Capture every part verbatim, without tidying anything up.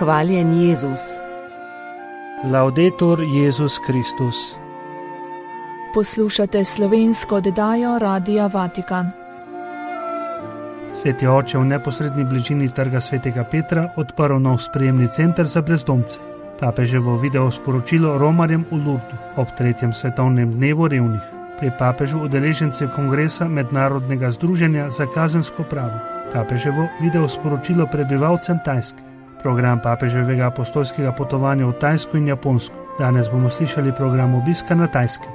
Hvaljen Jezus. Laudetur Jezus Kristus. Poslušate slovensko oddajo Radia Vatikan. Sveti oče v neposredni bližini trga Svetega Petra odprl nov sprejemni center za brezdomce. Papeževo video sporočilo romarjem v Lurdu ob tretjem svetovnem dnevu revnih. Pri papežu udeleženci kongresa Mednarodnega združenja za kazensko pravo. Papeževo video sporočilo prebivalcem Tajske. Program papeževega apostolskega potovanja v Tajsko in Japonsko. Danes bomo slišali program obiska na Tajskem.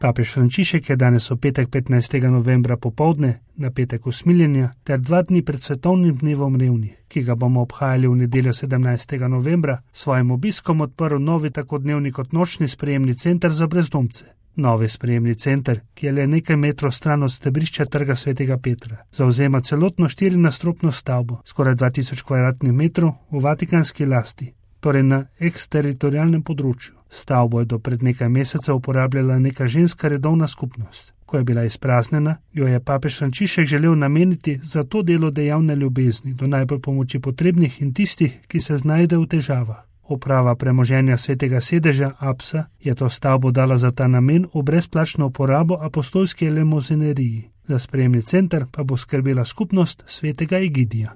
Papež Frančišek je danes v petek petnajstega novembra popoldne, na petek usmiljenja, ter dva dni pred svetovnim dnevom revnih, ki ga bomo obhajali v nedeljo sedemnajstega novembra, svojim obiskom odprl novi tako dnevni kot nočni sprejemni center za brezdomce. Novi sprejemni center, ki je le nekaj metrov stran od stebrišča trga Svetega Petra, zauzema celotno štirinadstropno stavbo, skoraj dva tisoč kvadratnih metrov v vatikanski lasti, torej na eksteritorialnem področju. Stavbo je do pred nekaj mesecev uporabljala neka ženska redovna skupnost. Ko je bila izpraznjena, jo je papež Frančišek želel nameniti za to delo dejavne ljubezni do najbolj pomoči potrebnih in tistih, ki se znajdejo v težavah. Uprava premoženja Svetega sedeža Apsa je to stavbo dala za ta namen v brezplačno uporabo apostolske lemozineriji. Za sprejemni center pa bo skrbela skupnost Svetega Egidija.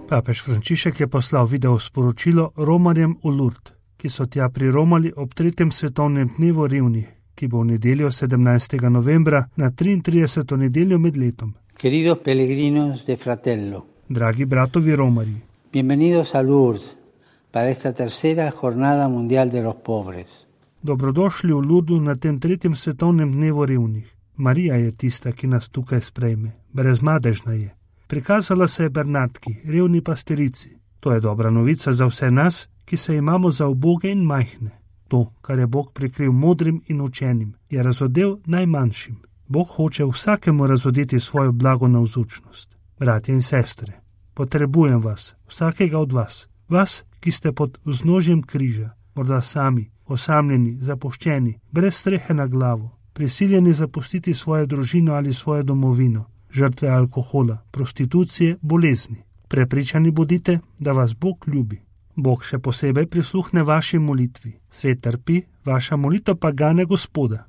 Papež Frančišek je poslal video sporočilo romarjem v Lurd, ki so tja priromali ob tretjem svetovnem dnevu revnih, ki bo v nedeljo sedemnajstega novembra na triintrideseto nedeljo med letom. Queridos peregrinos de Fratello. Dragi bratovi romarji. Bienvenidos a Lourdes para esta tercera jornada mundial de los pobres. Dobrodošli v Lurdu na tem tretjem svetovnem dnevu revnih. Marija je tista, ki nas tukaj sprejme. Brezmadežna je. Prikazala se je Bernardki, revni pastirici. To je dobra novica za vse nas, ki se imamo za uboge in majhne. To, kar je Bog prikril modrim in učenim, je razodel najmanjšim. Bog hoče vsakemu razodeti svojo blago navzučnost. Bratje in sestre, potrebujem vas, vsakega od vas, vas, ki ste pod vznožjem križa, morda sami, osamljeni, zapuščeni, brez strehe na glavo, prisiljeni zapustiti svojo družino ali svojo domovino, žrtve alkohola, prostitucije, bolezni. Prepričani bodite, da vas Bog ljubi. Bog še posebej prisluhne vaši molitvi. Svet trpi, vaša molitev pa gane Gospoda.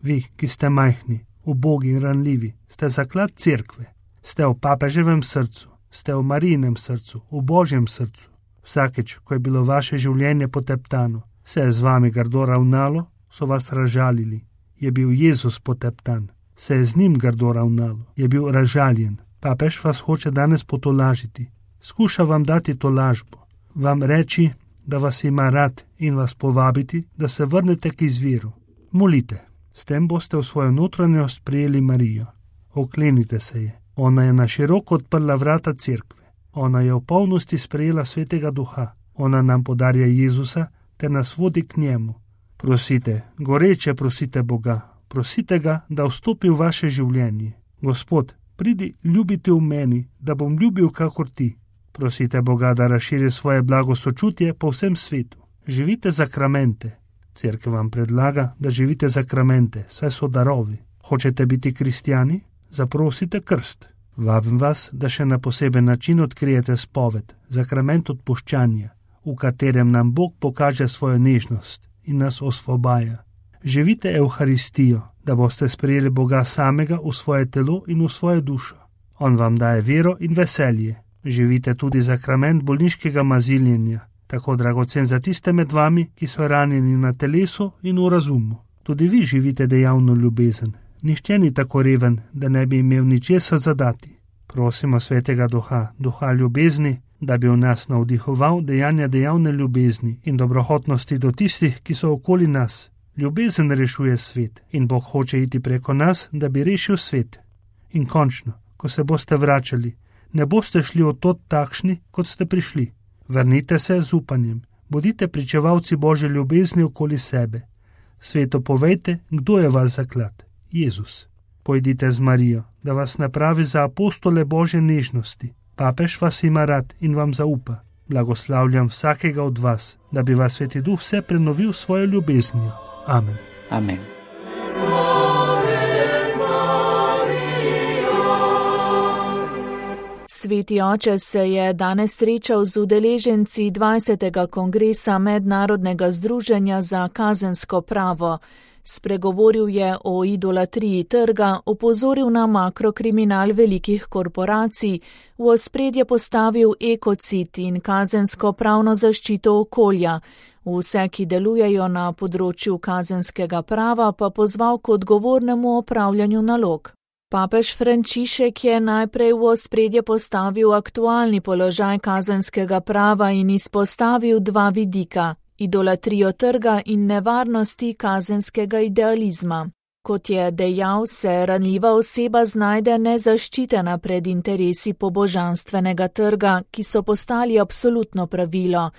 Vi, ki ste majhni, ubogi in ranljivi, ste zaklad cerkve. Ste v papeževem srcu, ste v Marijinem srcu, v Božjem srcu. Vsakeč, ko je bilo vaše življenje poteptano, se je z vami grdo ravnalo, so vas razžalili. Je bil Jezus poteptan. Se je z njim grdo ravnalo, je bil razžaljen. Papež vas hoče danes potolažiti. Skuša vam dati tolažbo, vam reči, da vas ima rad in vas povabiti, da se vrnete k izviru. Molite, s tem boste v svojo notranjost prijeli Marijo. Oklenite se je. Ona je na široko odprla vrata cerkve. Ona je v polnosti sprejela Svetega Duha. Ona nam podarja Jezusa ter nas vodi k njemu. Prosite, goreče prosite Boga. Prosite ga, da vstopi v vaše življenje. Gospod, pridi ljubiti v meni, da bom ljubil kakor ti. Prosite Boga, da razširi svoje blago sočutje po vsem svetu. Živite zakramente. Cerkev vam predlaga, da živite zakramente, saj so darovi. Hočete biti kristjani? Zaprosite krst. Vabim vas, da še na poseben način odkrijete spoved, zakrament odpuščanja, v katerem nam Bog pokaže svojo nežnost in nas osvobaja. Živite Evharistijo, da boste sprejeli Boga samega v svoje telo in v svojo dušo. On vam daje vero in veselje. Živite tudi zakrament bolniškega maziljenja, tako dragocen za tiste med vami, ki so ranjeni na telesu in v razumu. Tudi vi živite dejavno ljubezen. Nihče ni tako reven, da ne bi imel ničesar zadati. Prosimo Svetega Duha, Duha ljubezni, da bi v nas navdihoval dejanja dejavne ljubezni in dobrohotnosti do tistih, ki so okoli nas. Ljubezen rešuje svet in Bog hoče iti preko nas, da bi rešil svet. In končno, ko se boste vračali, ne boste šli od tod takšni, kot ste prišli. Vrnite se z upanjem, bodite pričevalci Božje ljubezni okoli sebe. Svetu povejte, kdo je vas zaklad. Jezus. Pojdite z Marijo, da vas napravi za apostole Božje nežnosti. Papež vas ima rad in vam zaupa. Blagoslavljam vsakega od vas, da bi vas Sveti Duh vse prenovil svojo ljubeznijo. Amen. Amen. Sveti oče se je danes srečal z udeleženci dvajsetega kongresa Mednarodnega združenja za kazensko pravo. Spregovoril je o idolatriji trga, opozoril na makrokriminal velikih korporacij, v ospredje postavil ekocid in kazensko pravno zaščito okolja. Vse, ki delujejo na področju kazenskega prava, pa pozval k odgovornemu opravljanju nalog. Papež Frančišek je najprej v ospredje postavil aktualni položaj kazenskega prava in izpostavil dva vidika: idolatrijo trga in nevarnosti kazenskega idealizma. Kot je dejal, se ranljiva oseba znajde nezaščitena pred interesi pobožanstvenega trga, ki so postali absolutno pravilo.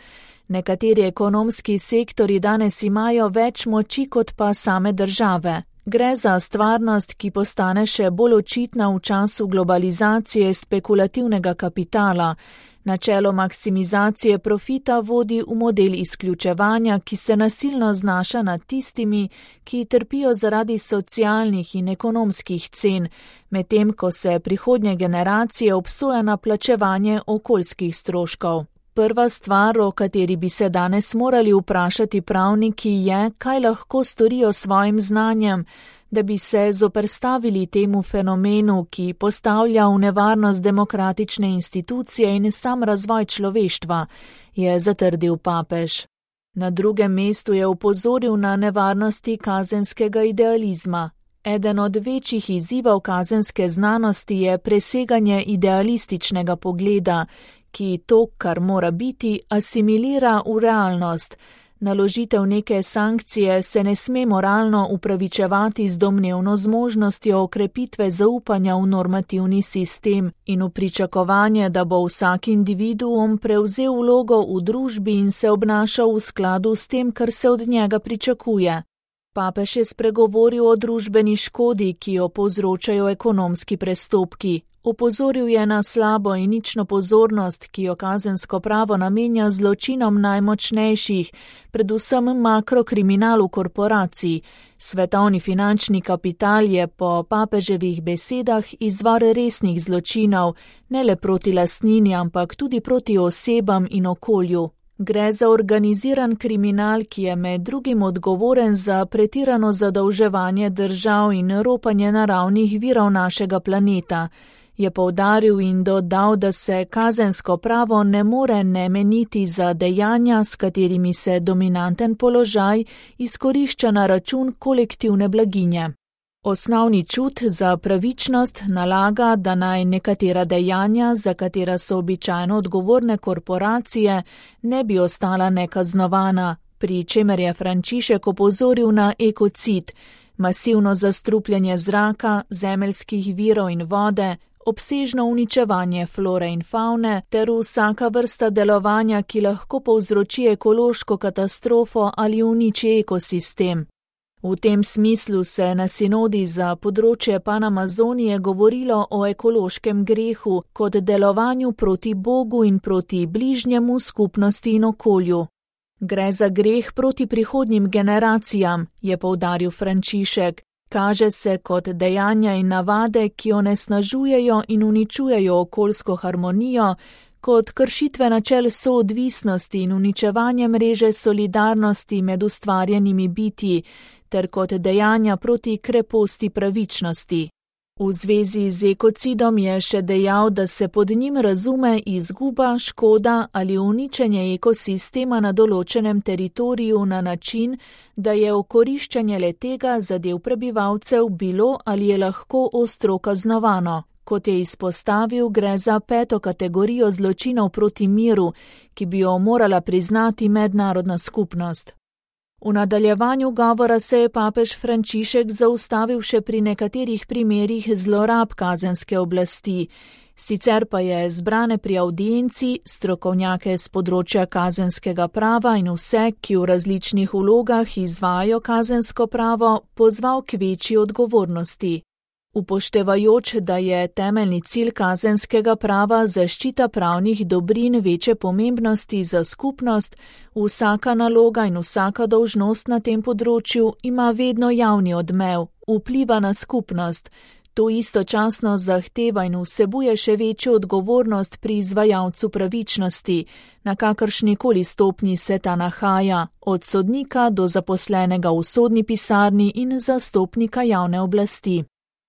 Nekateri ekonomski sektori danes imajo več moči kot pa same države. Gre za stvarnost, ki postane še bolj očitna v času globalizacije spekulativnega kapitala. Načelo maksimizacije profita vodi v model izključevanja, ki se nasilno znaša nad tistimi, ki trpijo zaradi socialnih in ekonomskih cen, medtem ko se prihodnje generacije obsoja na plačevanje okoljskih stroškov. Prva stvar, o kateri bi se danes morali vprašati pravniki, je, kaj lahko storijo s svojim znanjem, da bi se zoperstavili temu fenomenu, ki postavlja v nevarnost demokratične institucije in sam razvoj človeštva, je zatrdil papež. Na drugem mestu je opozoril na nevarnosti kazenskega idealizma. Eden od večjih izzivov kazenske znanosti je preseganje idealističnega pogleda, ki to, kar mora biti, asimilira v realnost. Naložitev neke sankcije se ne sme moralno upravičevati z domnevno zmožnostjo okrepitve zaupanja v normativni sistem in v pričakovanje, da bo vsak individuum prevzel vlogo v družbi in se obnašal v skladu s tem, kar se od njega pričakuje. Papež je spregovoril o družbeni škodi, ki jo povzročajo ekonomski prestopki. Opozoril je na slabo in nično pozornost, ki jo kazensko pravo namenja zločinom najmočnejših, predvsem makrokriminalu korporacij. Svetovni finančni kapital je po papeževih besedah izvor resnih zločinov, ne le proti lastnini, ampak tudi proti osebam in okolju. Gre za organiziran kriminal, ki je med drugim odgovoren za pretirano zadolževanje držav in ropanje naravnih virov našega planeta. Je poudaril in dodal, da se kazensko pravo ne more ne meniti za dejanja, s katerimi se dominanten položaj izkorišča na račun kolektivne blaginje. Osnovni čut za pravičnost nalaga, da naj nekatera dejanja, za katera so običajno odgovorne korporacije, ne bi ostala nekaznovana, pri čemer je Frančišek opozoril na ekocid, masivno zastrupljanje zraka, zemeljskih virov in vode, obsežno uničevanje flore in favne ter vsaka vrsta delovanja, ki lahko povzroči ekološko katastrofo ali uniči ekosistem. V tem smislu se na sinodi za področje Panamazonije govorilo o ekološkem grehu kot delovanju proti Bogu in proti bližnjemu, skupnosti in okolju. Gre za greh proti prihodnjim generacijam, je poudaril Frančišek. Kaže se kot dejanja in navade, ki onesnažujejo in uničujejo okoljsko harmonijo, kot kršitve načel soodvisnosti in uničevanje mreže solidarnosti med ustvarjenimi bitji, ter kot dejanja proti kreposti pravičnosti. V zvezi z ekocidom je še dejal, da se pod njim razume izguba, škoda ali uničenje ekosistema na določenem teritoriju na način, da je okoriščanje letega zadev prebivalcev bilo ali je lahko ostro kaznovano. Kot je izpostavil, gre za peto kategorijo zločinov proti miru, ki bi jo morala priznati mednarodna skupnost. V nadaljevanju govora se je papež Frančišek zaustavil še pri nekaterih primerih zlorab kazenske oblasti. Sicer pa je zbrane pri audienci, strokovnjake z področja kazenskega prava in vse, ki v različnih vlogah izvajajo kazensko pravo, pozval k večji odgovornosti. Upoštevajoč, da je temeljni cilj kazenskega prava zaščita pravnih dobrin večje pomembnosti za skupnost, vsaka naloga in vsaka dolžnost na tem področju ima vedno javni odmev, vpliva na skupnost. To istočasno zahteva in vsebuje še večjo odgovornost pri izvajalcu pravičnosti, na kakršnikoli stopnji se ta nahaja, od sodnika do zaposlenega v sodni pisarni in zastopnika javne oblasti.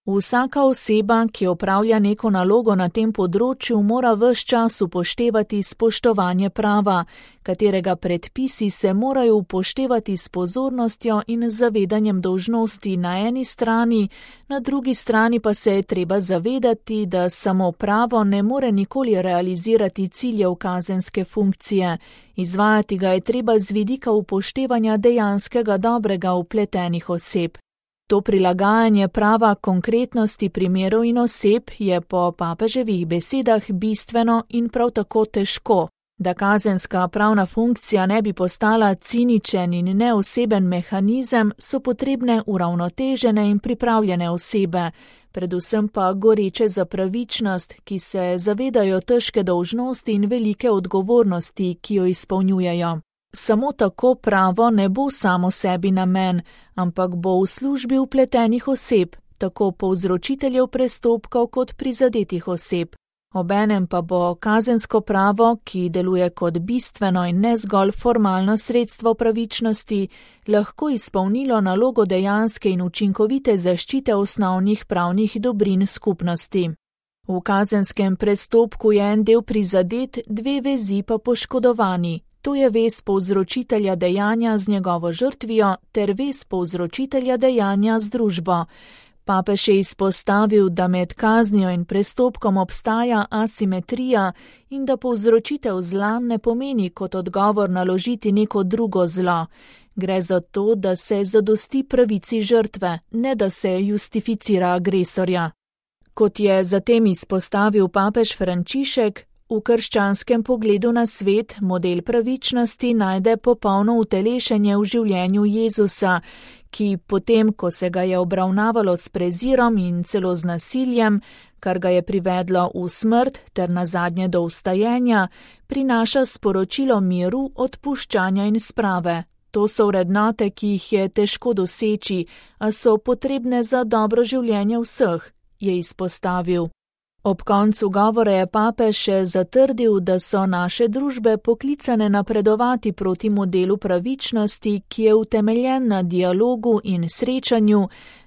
Vsaka oseba, ki opravlja neko nalogo na tem področju, mora ves čas upoštevati spoštovanje prava, katerega predpisi se morajo upoštevati s pozornostjo in zavedanjem dolžnosti na eni strani, na drugi strani pa se je treba zavedati, da samo pravo ne more nikoli realizirati ciljev kazenske funkcije. Izvajati ga je treba z vidika upoštevanja dejanskega dobrega vpletenih oseb. To prilagajanje prava konkretnosti primerov in oseb je po papeževih besedah bistveno in prav tako težko. Da kazenska pravna funkcija ne bi postala ciničen in neoseben mehanizem, so potrebne uravnotežene in pripravljene osebe, predvsem pa goreče za pravičnost, ki se zavedajo težke dolžnosti in velike odgovornosti, ki jo izpolnjujejo. Samo tako pravo ne bo samo sebi namen, ampak bo v službi vpletenih oseb, tako povzročiteljev prestopkov kot prizadetih oseb. Obenem pa bo kazensko pravo, ki deluje kot bistveno in ne zgolj formalno sredstvo pravičnosti, lahko izpolnilo nalogo dejanske in učinkovite zaščite osnovnih pravnih dobrin skupnosti. V kazenskem prestopku je en del prizadet, dve vezi pa poškodovani. To je vez povzročitelja dejanja z njegovo žrtvijo ter vez povzročitelja dejanja z družbo. Papež je izpostavil, da med kaznijo in prestopkom obstaja asimetrija in da povzročitev zla ne pomeni kot odgovor naložiti neko drugo zlo. Gre za to, da se zadosti pravici žrtve, ne da se justificira agresorja. Kot je zatem izpostavil papež Frančišek, v krščanskem pogledu na svet model pravičnosti najde popolno utelešenje v življenju Jezusa, ki potem, ko se ga je obravnavalo s prezirom in celo z nasiljem, kar ga je privedlo v smrt ter nazadnje do vstajenja, prinaša sporočilo miru, odpuščanja in sprave. To so vrednote, ki jih je težko doseči, a so potrebne za dobro življenje vseh, je izpostavil. Ob koncu govora je papež še zatrdil, da so naše družbe poklicane napredovati proti modelu pravičnosti, ki je utemeljen na dialogu in srečanju,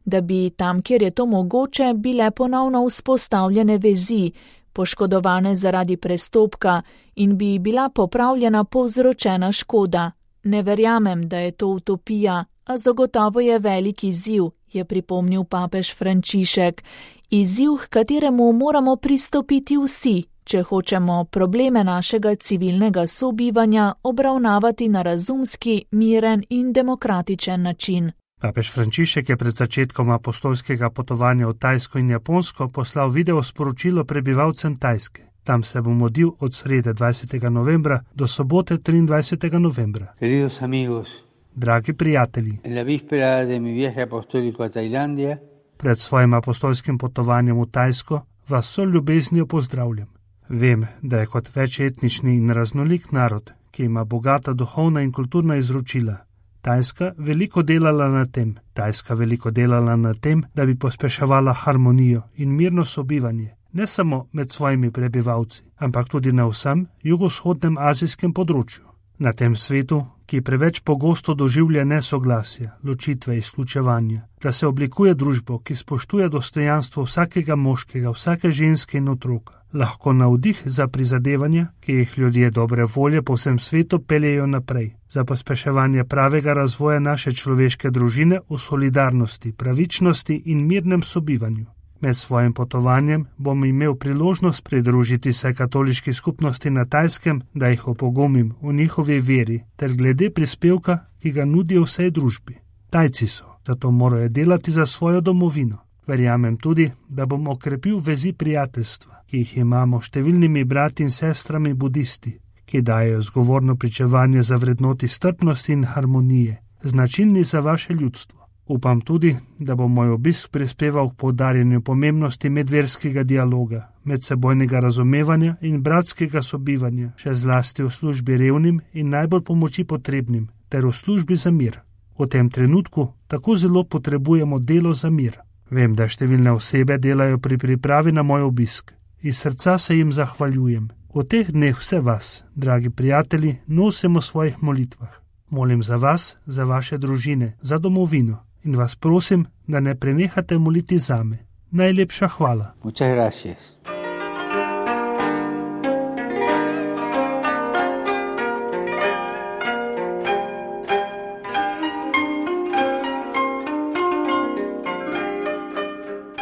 da bi tam, kjer je to mogoče, bile ponovno vzpostavljene vezi, poškodovane zaradi prestopka in bi bila popravljena povzročena škoda. Ne verjamem, da je to utopija, a zagotovo je velik izziv, je pripomnil papež Frančišek. Izziv, h kateremu moramo pristopiti vsi, če hočemo probleme našega civilnega sobivanja obravnavati na razumski, miren in demokratičen način. Papež Frančišek je pred začetkom apostolskega potovanja v Tajsko in Japonsko poslal video sporočilo prebivalcem Tajske. Tam se bo modlil od srede dvajsetega novembra do sobote triindvajsetega novembra. Queridos amigos, dragi prijatelji, en la víspera de mi viaje apostólico a Tailandia, pred svojim apostolskim potovanjem v Tajsko vas so ljubeznijo pozdravljam. Vem, da je kot večetnični in raznolik narod, ki ima bogata duhovna in kulturna izročila, Tajska veliko delala na tem, Tajska veliko delala na tem, da bi pospeševala harmonijo in mirno sobivanje, ne samo med svojimi prebivalci, ampak tudi na vsem jugovzhodnem azijskem področju. Na tem svetu, ki preveč pogosto doživlja nesoglasja, ločitve, izključevanja, da se oblikuje družbo, ki spoštuje dostojanstvo vsakega moškega, vsake ženske in otroka, lahko navdih za prizadevanja, ki jih ljudje dobre volje po vsem svetu peljejo naprej, za pospeševanje pravega razvoja naše človeške družine v solidarnosti, pravičnosti in mirnem sobivanju. Med svojim potovanjem bom imel priložnost pridružiti se katoliški skupnosti na Tajskem, da jih opogumim v njihovi veri ter glede prispevka, ki ga nudijo vsej družbi. Tajci so, zato morajo delati za svojo domovino. Verjamem tudi, da bom okrepil vezi prijateljstva, ki jih imamo številnimi brati in sestrami budisti, ki dajejo zgovorno pričevanje za vrednoti strpnosti in harmonije, značilni za vaše ljudstvo. Upam tudi, da bo moj obisk prispeval k poudarjanju pomembnosti medverskega dialoga, medsebojnega razumevanja in bratskega sobivanja, še zlasti v službi revnim in najbolj pomoči potrebnim, ter v službi za mir. V tem trenutku tako zelo potrebujemo delo za mir. Vem, da številne osebe delajo pri pripravi na moj obisk. Iz srca se jim zahvaljujem. V teh dneh vse vas, dragi prijatelji, nosimo v svojih molitvah. Molim za vas, za vaše družine, za domovino in vas prosim, da ne prenehate moliti zame. Najlepša hvala. Muchas gracias.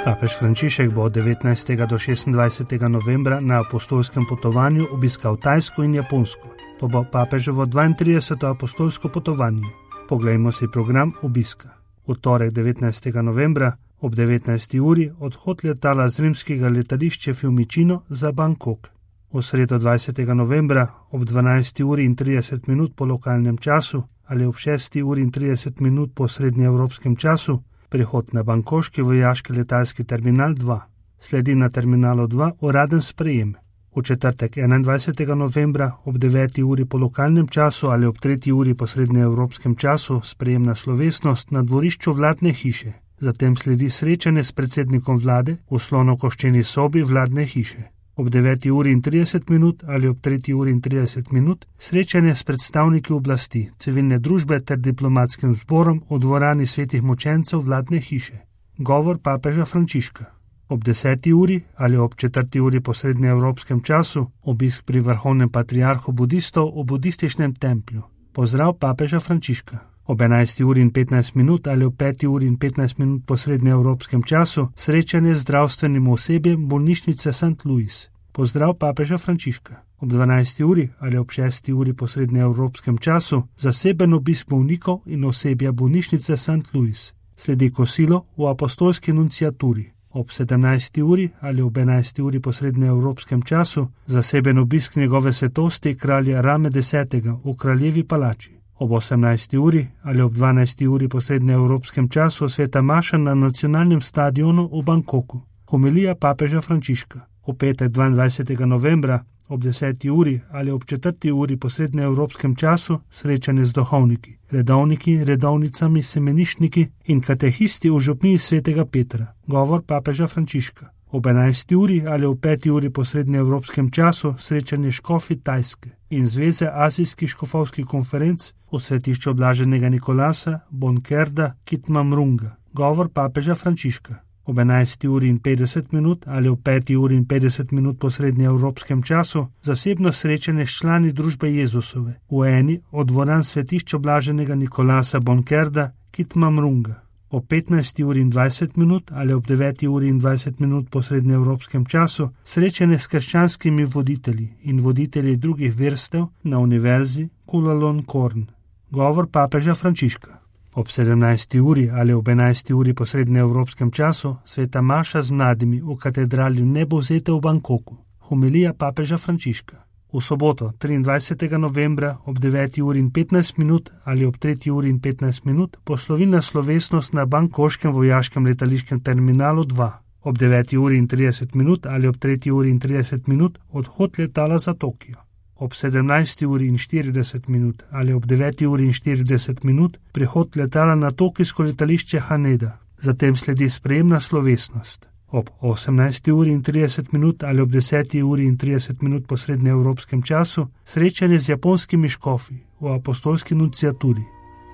Papež Frančišek bo od devetnajstega do šestindvajsetega novembra na apostolskem potovanju obiskal Tajsko in Japonsko. To bo papeževo dvaintrideseto apostolsko potovanje. Poglejmo si program obiska. V torek devetnajstega novembra ob devetnajsti uri odhod letala z rimskega letališča Fiumicino za Bangkok. V sredo dvajsetega novembra ob dvanajsti uri in trideset minut po lokalnem času ali ob šesti uri in trideset minut po srednjeevropskem času prihod na bangkoški vojaški letalski terminal dva. Sledi na terminalu dva uraden sprejem. V četrtek enaindvajsetega novembra ob deveti uri po lokalnem času ali ob tretji uri po srednjeevropskem času sprejemna slovesnost na dvorišču vladne hiše. Zatem sledi srečanje s predsednikom vlade v slonokoščeni sobi vladne hiše. Ob deveti uri in trideset minut ali ob tretji uri in trideset minut srečanje s predstavniki oblasti, civilne družbe ter diplomatskim zborom v dvorani svetih mučencev vladne hiše. Govor papeža Frančiška. Ob deseti uri ali ob četrti uri po srednjeevropskem času obisk pri vrhovnem patriarhu budistov v budističnem templju. Pozdrav papeža Frančiška. Ob enajsti uri in petnajst minut ali ob peti uri in petnajst minut po srednjeevropskem času srečanje z zdravstvenim osebjem bolnišnice Sankt Louis. Pozdrav papeža Frančiška. Ob dvanajsti uri ali ob šesti uri po srednjeevropskem času zaseben obisk bolnikov in osebja bolnišnice Sankt Louis. Sledi kosilo v apostolski nunciaturi. Ob sedemnajsti uri ali ob enajsti uri po srednjeevropskem času zaseben obisk njegove svetosti kralja Rame desetega v kraljevi palači. Ob osemnajsti uri ali ob dvanajsti uri po srednjeevropskem času sveta maša na nacionalnem stadionu v Bangkoku. Homilija papeža Frančiška. V petek dvaindvajsetega novembra ob deseti uri ali ob četrti uri po srednjeevropskem času srečanje z duhovniki, redovniki, redovnicami, semeništniki in katehisti v župniji svetega Petra. Govor papeža Frančiška. Ob enajsti uri ali ob peti uri po srednjeevropskem času srečanje škofi Tajske in Zveze azijskih škofovskih konferenc v svetišču Blaženega Nikolasa, Bonkerda, Kitmamrunga. Govor papeža Frančiška. Ob enajsti uri in petdeset minut ali ob peti uri in petdeset minut po srednjeevropskem času zasebno srečanje s člani družbe Jezusove v eni od dvoran svetišča Blaženega Nikolasa, Bonkerda, Kitmamrunga. Ob petnajsti uri in dvajset minut ali ob deveti uri in dvajset minut po srednjeevropskem času srečanje s krščanskimi voditelji in voditelji drugih verstev na univerzi Chulalongkorn. Govor papeža Frančiška. Ob sedemnajsti uri ali ob enajsti uri po srednjeevropskem času sveta maša z mladimi v katedrali Nebovzete v Bangkoku. Homilija papeža Frančiška. V soboto triindvajsetega novembra ob deveti uri in petnajst minut ali ob tretji uri in petnajst minut poslovilna slovesnost na bangkoškem vojaškem letališkem terminalu dva. Ob deveti uri in trideset minut ali ob tretji uri in trideset minut odhod letala za Tokio. Ob sedemnajsti uri in štirideset minut ali ob deveti uri in štirideset minut prihod letala na tokijsko letališče Haneda. Zatem sledi sprejemna slovesnost. Ob osemnajsti uri in trideset minut ali ob deseti uri in trideset minut po srednjeevropskem času srečanje z japonskimi škofi v apostolski nunciaturi.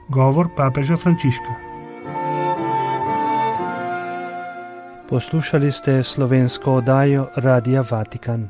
Govor papeža Frančiška. Poslušali ste slovensko oddajo Radia Vatikan.